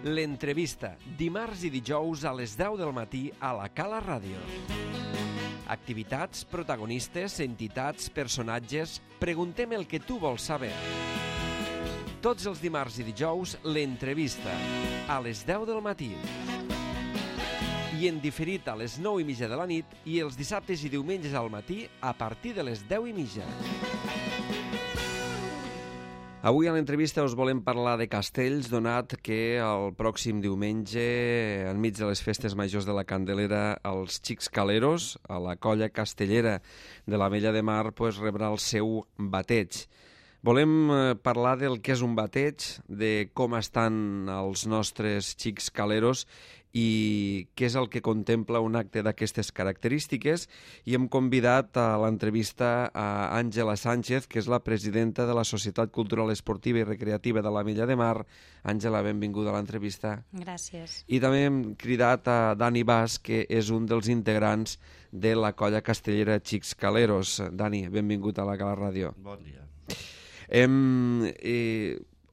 L'entrevista, dimarts i dijous a les 10 del matí a la Cala Ràdio. Activitats, protagonistes, entitats, personatges... Preguntem el que tu vols saber. Tots els dimarts i dijous, l'entrevista, a les 10 del matí. I en diferit a les 9:30 de la nit i els dissabtes i diumenges al matí a partir de les 10:30. Avui a l'entrevista us volem parlar de castells, donat que el pròxim diumenge, enmig de les festes majors de la Candelera, els Xics Caleros, a la colla castellera de l'Ametlla de Mar, rebrà el seu bateig. Volem parlar del que és un bateig, de com estan els nostres Xics Caleros i què és el que contempla un acte d'aquestes característiques, i hem convidat a l'entrevista a Àngela Sánchez, que és la presidenta de la Societat Cultural Esportiva i Recreativa de l'Ametlla de Mar. Àngela, benvinguda a l'entrevista. Gràcies. I també hem cridat a Dani Bas, que és un dels integrants de la colla castellera Xics Caleros. Dani, benvingut a la Cala Ràdio. Bon dia.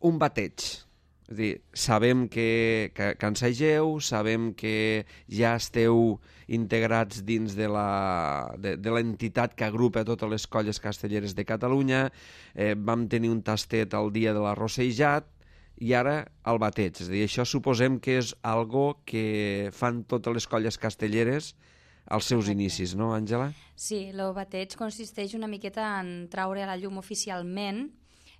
Un bateig. És a dir, sabem que ensageu, sabem que ja esteu integrats dins de l'entitat que agrupa totes les colles castelleres de Catalunya, vam tenir un tastet el dia de l'arrossejat i ara el bateig. És a dir, això suposem que és algo que fan totes les colles castelleres als seus inicis, no, Àngela? Sí, el bateig consisteix una miqueta en traure a la llum oficialment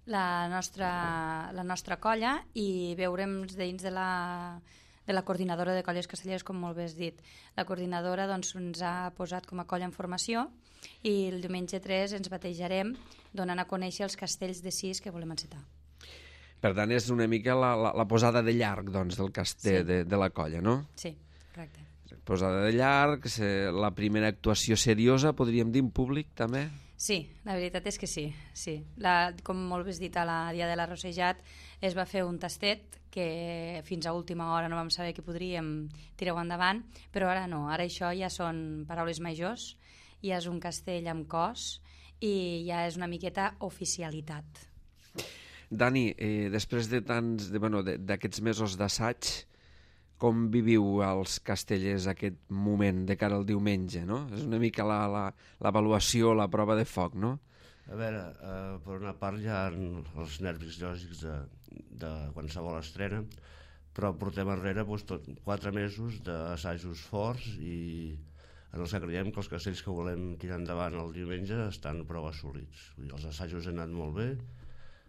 la nostra colla i veurem dins de la coordinadora de colles castelleres, com molt bé has dit. La coordinadora ens ha posat com a colla en formació i el diumenge 3 ens batejarem donant a conèixer els castells de 6 que volem encetar. Per tant, és una mica la posada de llarg del castell de la colla, no? Sí, correcte. Posada de llarg, la primera actuació seriosa, podríem dir, en públic, també? Sí, la veritat és que sí. Com molt bé has dit, a la dia de l'arrossejat es va fer un tastet que fins a última hora no vam saber que podríem tirar-ho endavant, però ara no, ara això ja són paraules majors, ja és un castell amb cos i ja és una miqueta oficialitat. Dani, després d'aquests mesos d'assaig, com viviu els castellers aquest moment de cara al diumenge, no? És una mica l'avaluació, la prova de foc, no? A veure, per una part hi ha els nervis lògics de qualsevol estrena, però portem enrere 4 mesos d'assajos forts i en els que creiem que els castells que volem tirar endavant el diumenge estan prou assolits. Els assajos han anat molt bé,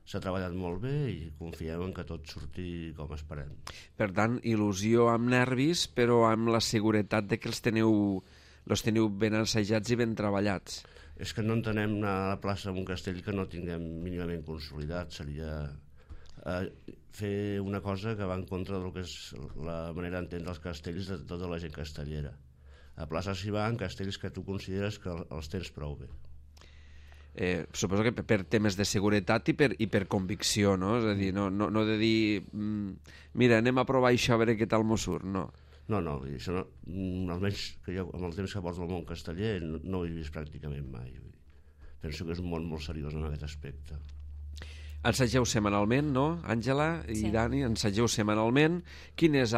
s'ha treballat molt bé i confiem en que tot surti com esperem. Per tant, il·lusió amb nervis, però amb la seguretat de que els teniu ben assajats i ben treballats. És que no entenem anar a la plaça amb un castell que no tinguem mínimament consolidat. Seria fer una cosa que va en contra del que és la manera d'entendre els castells de tota la gent castellera. A plaça s'hi va en castells que tu consideres que els tens prou bé. Suposo que per temes de seguretat i per convicció, no? És a dir, no de dir mira, anem a provar això a veure què tal m'ho surt, no. No, això almenys que jo amb el temps que porto al món casteller no ho he vist pràcticament mai. Penso que és un món molt seriós en aquest aspecte. Ensageu setmanalment, no, Àngela i Dani? Ensageu setmanalment. Quina és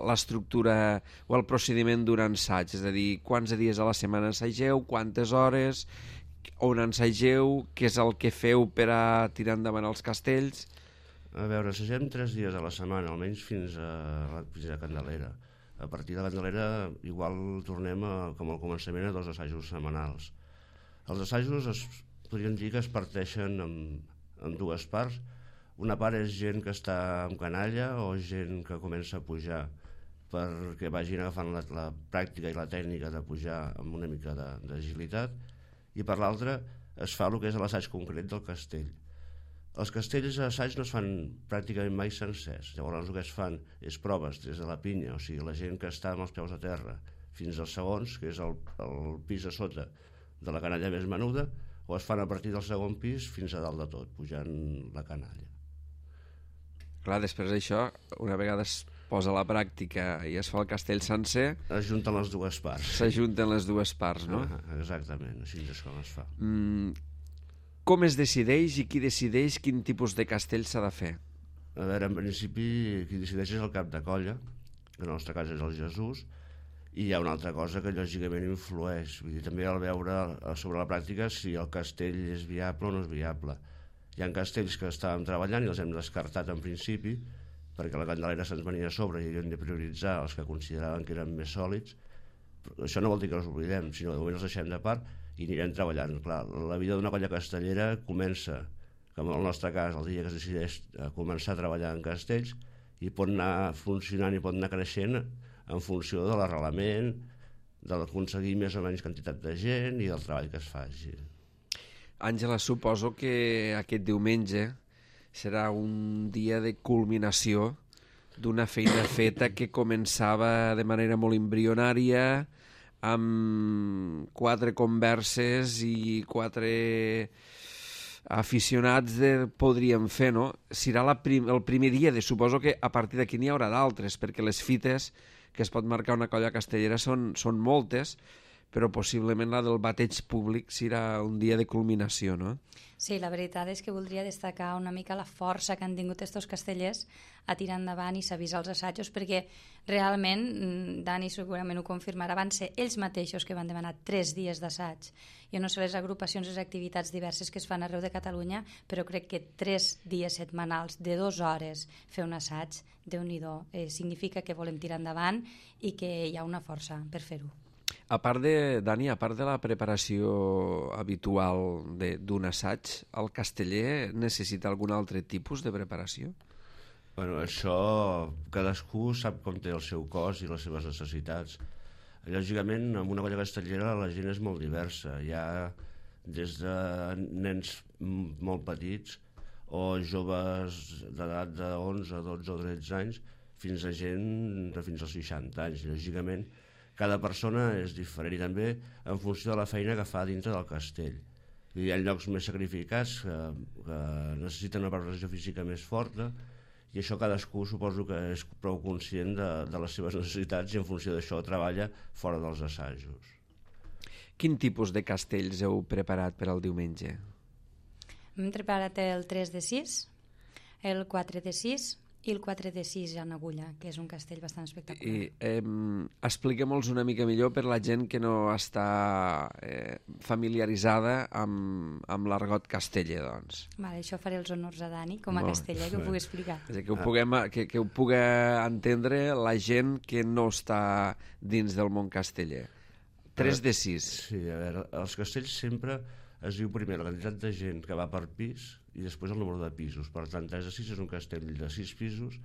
l'estructura o el procediment d'un ensaig? És a dir, quants dies a la setmana ensageu, quantes hores, on ensageu, què és el que feu per a tirar endavant els castells? A veure, ensagem 3 dies a la setmana, almenys fins a Candelera. A partir de Candelera igual tornem com al començament a 2 assajos setmanals. Els assajos podríem dir que es parteixen en 2 parts. Una part és gent que està en canalla o gent que comença a pujar perquè vagin agafant la pràctica i la tècnica de pujar amb una mica d'agilitat, i per l'altra es fa el que és l'assaig concret del castell. Els castells d'assaig no es fan pràcticament mai sencers, llavors el que es fan és proves des de la pinya, o sigui la gent que està amb els peus a terra fins als segons, que és el pis a sota de la canalla més menuda, o es fan a partir del segon pis fins a dalt de tot, pujant la canalla. Clar, després d'això, una vegada es posa a la pràctica i es fa el castell sencer... Es junten les 2 parts. S'ajunten les 2 parts, no? Exactament, així és com es fa. Com es decideix i qui decideix quin tipus de castell s'ha de fer? A veure, en principi, qui decideix és el cap de colla, que en el nostre cas és el Jesús, i hi ha una altra cosa que lògicament influeix, vull dir, també al veure sobre la pràctica si el castell és viable o no és viable. Hi ha castells que estàvem treballant i els hem descartat en principi, perquè la Candelera se'ns venia a sobre i havíem de prioritzar els que consideraven que eren més sòlids. Però això no vol dir que els oblidem, sinó que de moment els deixem de part i anirem treballant. Clar, la vida d'una colla castellera comença, com en el nostre cas, el dia que es decideix començar a treballar en castells, i pot anar funcionant i pot anar creixent en funció de l'arrelament, d'aconseguir més o menys quantitat de gent i del treball que es faci. Àngela, suposo que aquest diumenge serà un dia de culminació d'una feina feta que començava de manera molt embrionària, amb 4 converses i 4 aficionats podríem fer, no? Serà el primer dia, suposo que a partir d'aquí n'hi haurà d'altres, perquè les fites que es pot marcar una colla castellera són moltes, però possiblement la del bateig públic serà un dia de culminació, no? Sí, la veritat és que voldria destacar una mica la força que han tingut estos castellers a tirar endavant i s'avisar els assajos, perquè realment, Dani segurament ho confirmarà, van ser ells mateixos que van demanar 3 dies d'assaig. Jo no sé les agrupacions i les activitats diverses que es fan arreu de Catalunya, però crec que 3 dies setmanals de 2 hores fer un assaig, Déu-n'hi-do, significa que volem tirar endavant i que hi ha una força per fer-ho. Dani, a part de la preparació habitual d'un assaig, el casteller necessita algun altre tipus de preparació? Bueno, això cadascú sap com té el seu cos i les seves necessitats. Lògicament, en una colla castellera la gent és molt diversa. Hi ha des de nens molt petits o joves d'edat de 11, 12 o 13 anys fins a gent de fins als 60 anys. Lògicament, cada persona és diferent i també en funció de la feina que fa dintre del castell. Hi ha llocs més sacrificats que necessiten una preparació física més forta i això cadascú suposo que és prou conscient de les seves necessitats i en funció d'això treballa fora dels assajos. Quin tipus de castells heu preparat per al diumenge? Hem preparat el 3 de 6, el 4 de 6 i el 4 de 6 en agulla, que és un castell bastant espectacular. Expliquem-los una mica millor per la gent que no està familiaritzada amb l'argot casteller, doncs. Vale, això faré els honors a Dani, com a casteller, que ho pugui explicar. És a dir, que ho pugui entendre la gent que no està dins del món casteller. 3 de 6. Sí, a veure, els castells sempre es diu primer la quantitat de gent que va per pis i després el número de pisos. Per tant, 3 de 6 és un castell de 6 pisos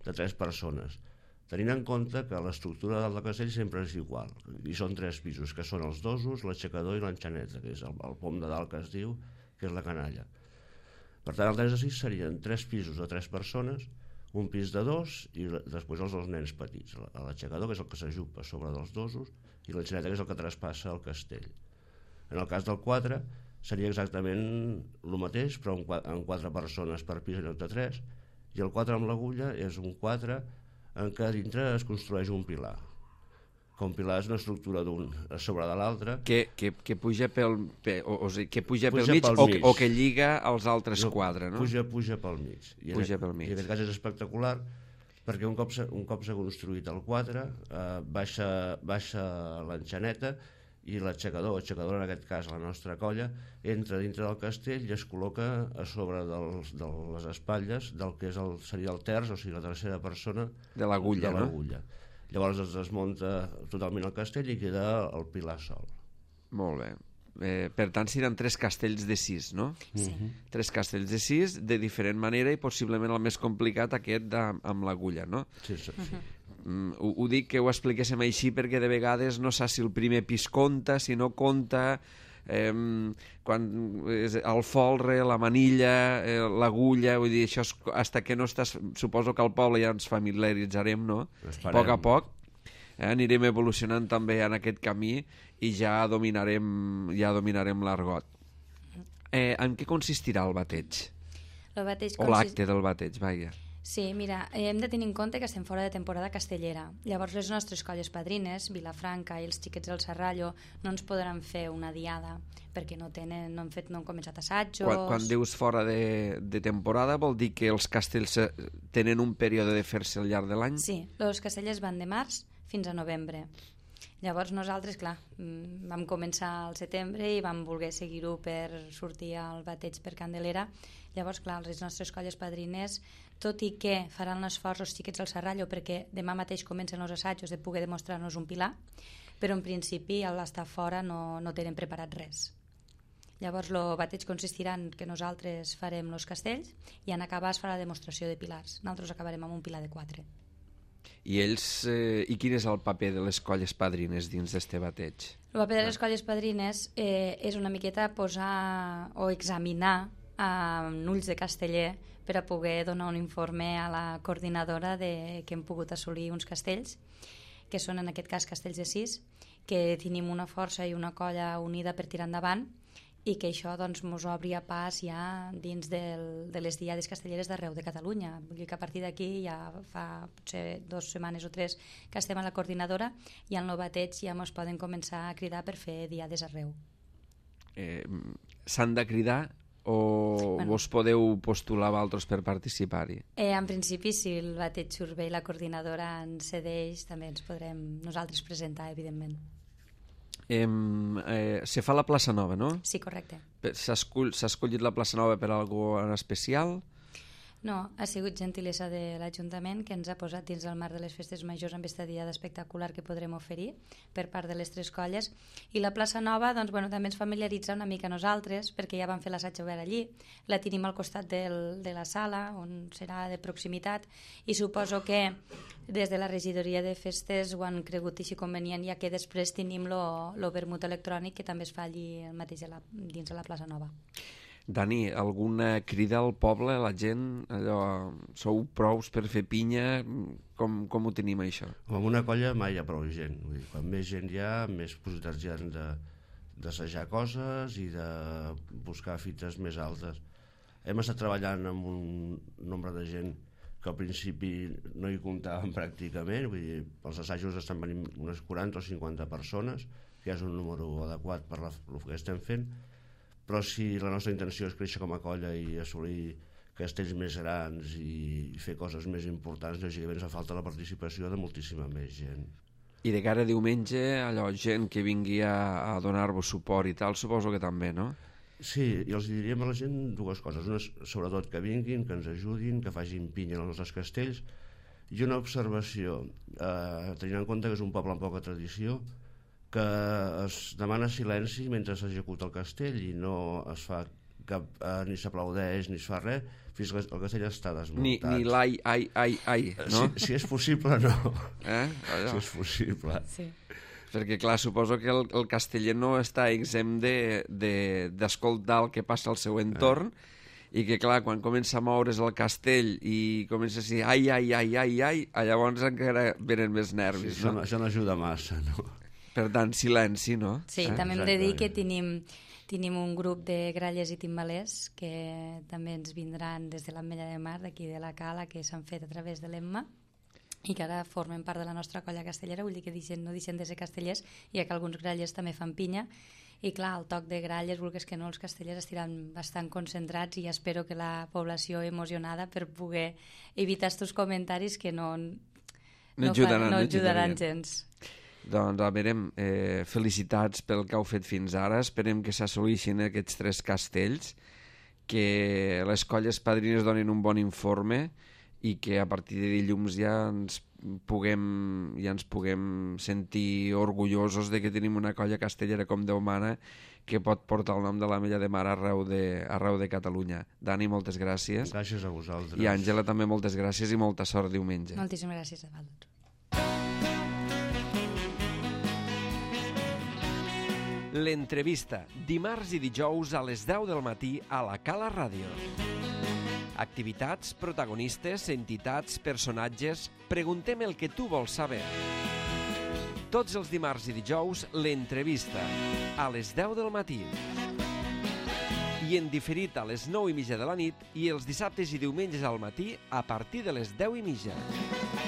de 3 persones. Tenint en compte que l'estructura del castell sempre és igual. I són 3 pisos, que són els dosos, l'aixecador i l'enxaneta, que és el pom de dalt que es diu, que és la canalla. Per tant, el 3 de 6 serien 3 pisos de 3 persones, un pis de 2 i després els 2 nens petits. L'aixecador, que és el que s'ajupa sobre dels dosos, i l'enxaneta, que és el que traspassa el castell. En el cas del 4 seria exactament el mateix, però amb 4 persones per pis en lloc de 3, i el 4 amb l'agulla és un 4 en què dintre es construeix un pilar. Que un pilar és una estructura d'un a sobre de l'altre. Que puja pel mig o que lliga els altres 4, no? Puja pel mig. I en aquest cas és espectacular perquè un cop s'ha construït el 4 baixa l'enxaneta i l'aixecador en aquest cas la nostra colla, entra dintre del castell i es col·loca a sobre de les espatlles del que seria el terç, o sigui la tercera persona de l'agulla, no? Llavors es desmunta totalment el castell i queda el pilar sol. Molt bé. Per tant, seran 3 castells de 6, no? Sí. 3 castells de 6 de diferent manera i possiblement el més complicat aquest amb l'agulla, no? Sí. Ho dic que ho expliquéssim així perquè de vegades no saps si el primer pis compta, si no compta, quan el folre, la manilla, l'agulla, vull dir, això hasta que no estàs, suposo que al poble ja ens familiaritzarem, no? A poc anirem evolucionant també en aquest camí i ja dominarem l'argot. En què consistirà el bateig? El bateig o l'acte del bateig, vaja. Sí, mira, hem de tenir en compte que estem fora de temporada castellera. Llavors les nostres colles padrines, Vilafranca i els xiquets del Serrallo, no ens podran fer una diada perquè no han començat assajos. Quan dius fora de temporada vol dir que els castells tenen un període de fer-se al llarg de l'any? Sí, els castellers van de març fins a novembre. Llavors nosaltres, clar, vam començar al setembre i vam voler seguir-ho per sortir al bateig per Candelera. Llavors, clar, les nostres colles padrines, tot i que faran l'esforç els xiquets del Serrallo perquè demà mateix comencen els assajos de poder demostrar-nos un pilar, però en principi a l'estar fora no tenen preparat res. Llavors el bateig consistirà en que nosaltres farem els castells i en acabar es farà la demostració de pilars. Nosaltres acabarem amb un pilar de 4. I quin és el paper de les colles padrines dins d'este bateig? El paper de les colles padrines és una miqueta posar o examinar amb ulls de casteller per a poder donar un informe a la coordinadora de que hem pogut assolir uns castells, que són en aquest cas castells de 6, que tenim una força i una colla unida per tirar endavant i que això doncs, mos obria pas ja dins de les diades castelleres d'arreu de Catalunya. Vull dir que a partir d'aquí ja fa potser 2 setmanes o 3 que estem a la coordinadora i al nou bateig ja mos poden començar a cridar per fer diades arreu. S'han de cridar o vos podeu postular vosaltres per participar-hi? En principi, si el bateig surt bé i la coordinadora ens cedeix, també ens podrem nosaltres presentar, evidentment. Se fa la plaça Nova, no? Sí, correcte. S'ha escollit la plaça Nova per alguna cosa en especial? No, ha sigut gentilesa de l'Ajuntament que ens ha posat dins el marc de les festes majors amb aquesta diada espectacular que podrem oferir per part de les 3 colles. I la plaça Nova doncs, bueno, també ens familiaritza una mica a nosaltres perquè ja vam fer l'assaig obert allí. La tenim al costat de la sala, on serà de proximitat, i suposo que des de la regidoria de festes ho han cregut així convenient, ja que després tenim lo vermut electrònic que també es fa allí mateix dins de la plaça Nova. Dani, alguna crida al poble, a la gent? Allò, sou prous per fer pinya? Com ho tenim, això? Amb una colla mai hi ha prou gent. Vull dir, quan més gent hi ha, més possibilitats hi ha d'assajar coses i de buscar fites més altes. Hem estat treballant amb un nombre de gent que al principi no hi comptàvem pràcticament. Vull dir, els assajos estan venint unes 40 o 50 persones, que és un número adequat per el que estem fent. Però si la nostra intenció és créixer com a colla i assolir castells més grans i fer coses més importants, lògicament fa falta la participació de moltíssima més gent. I de cara a diumenge, allò, gent que vingui a donar-vos suport i tal, suposo que també, no? Sí, i els diríem a la gent 2 coses. Una, sobretot, que vinguin, que ens ajudin, que facin pinya als nostres castells. I una observació, tenint en compte que és un poble amb poca tradició, que es demana silenci mentre s'executa el castell i no es fa ni s'aplaudeix ni es fa res fins que el castell està desmuntat. Ni ai, no? Si és possible, no. Allò. Si és possible. Sí. Perquè, clar, suposo que el casteller no està exempt d'escoltar el que passa al seu entorn i que, clar, quan comença a moure's el castell i comença a dir ai, llavors encara venen més nervis. Sí, no? Això no ajuda massa, no? Per tant, silenci, no? Sí, també hem de dir que tenim un grup de gralles i timbalers que també ens vindran des de l'Ametlla de Mar, d'aquí de la Cala, que s'han fet a través de l'Emma i que ara formen part de la nostra colla castellera, vull dir que no deixen de ser castellers, ja que alguns grallers també fan pinya. I clar, el toc de gralles, vulguis que no, els castellers estiran bastant concentrats i espero que la població emocionada per poder evitar aquests comentaris que no ajudaran gens. Doncs, a veure, felicitats pel que heu fet fins ara. Esperem que s'assoleixin aquests 3 castells, que les colles padrines donin un bon informe i que a partir de dilluns ja ens puguem sentir orgullosos de que tenim una colla castellera com Déu mana que pot portar el nom de l'Ametlla de Mar arreu de Catalunya. Dani, moltes gràcies. Gràcies a vosaltres. I Àngela, també moltes gràcies i molta sort diumenge. Moltíssimes gràcies a vosaltres. L'entrevista, dimarts i dijous a les 10 del matí a la Cala Ràdio. Activitats, protagonistes, entitats, personatges... Preguntem el que tu vols saber. Tots els dimarts i dijous, l'entrevista, a les 10 del matí. i en diferit a les 9:30 de la nit i els dissabtes i diumenges al matí a partir de les 10:30.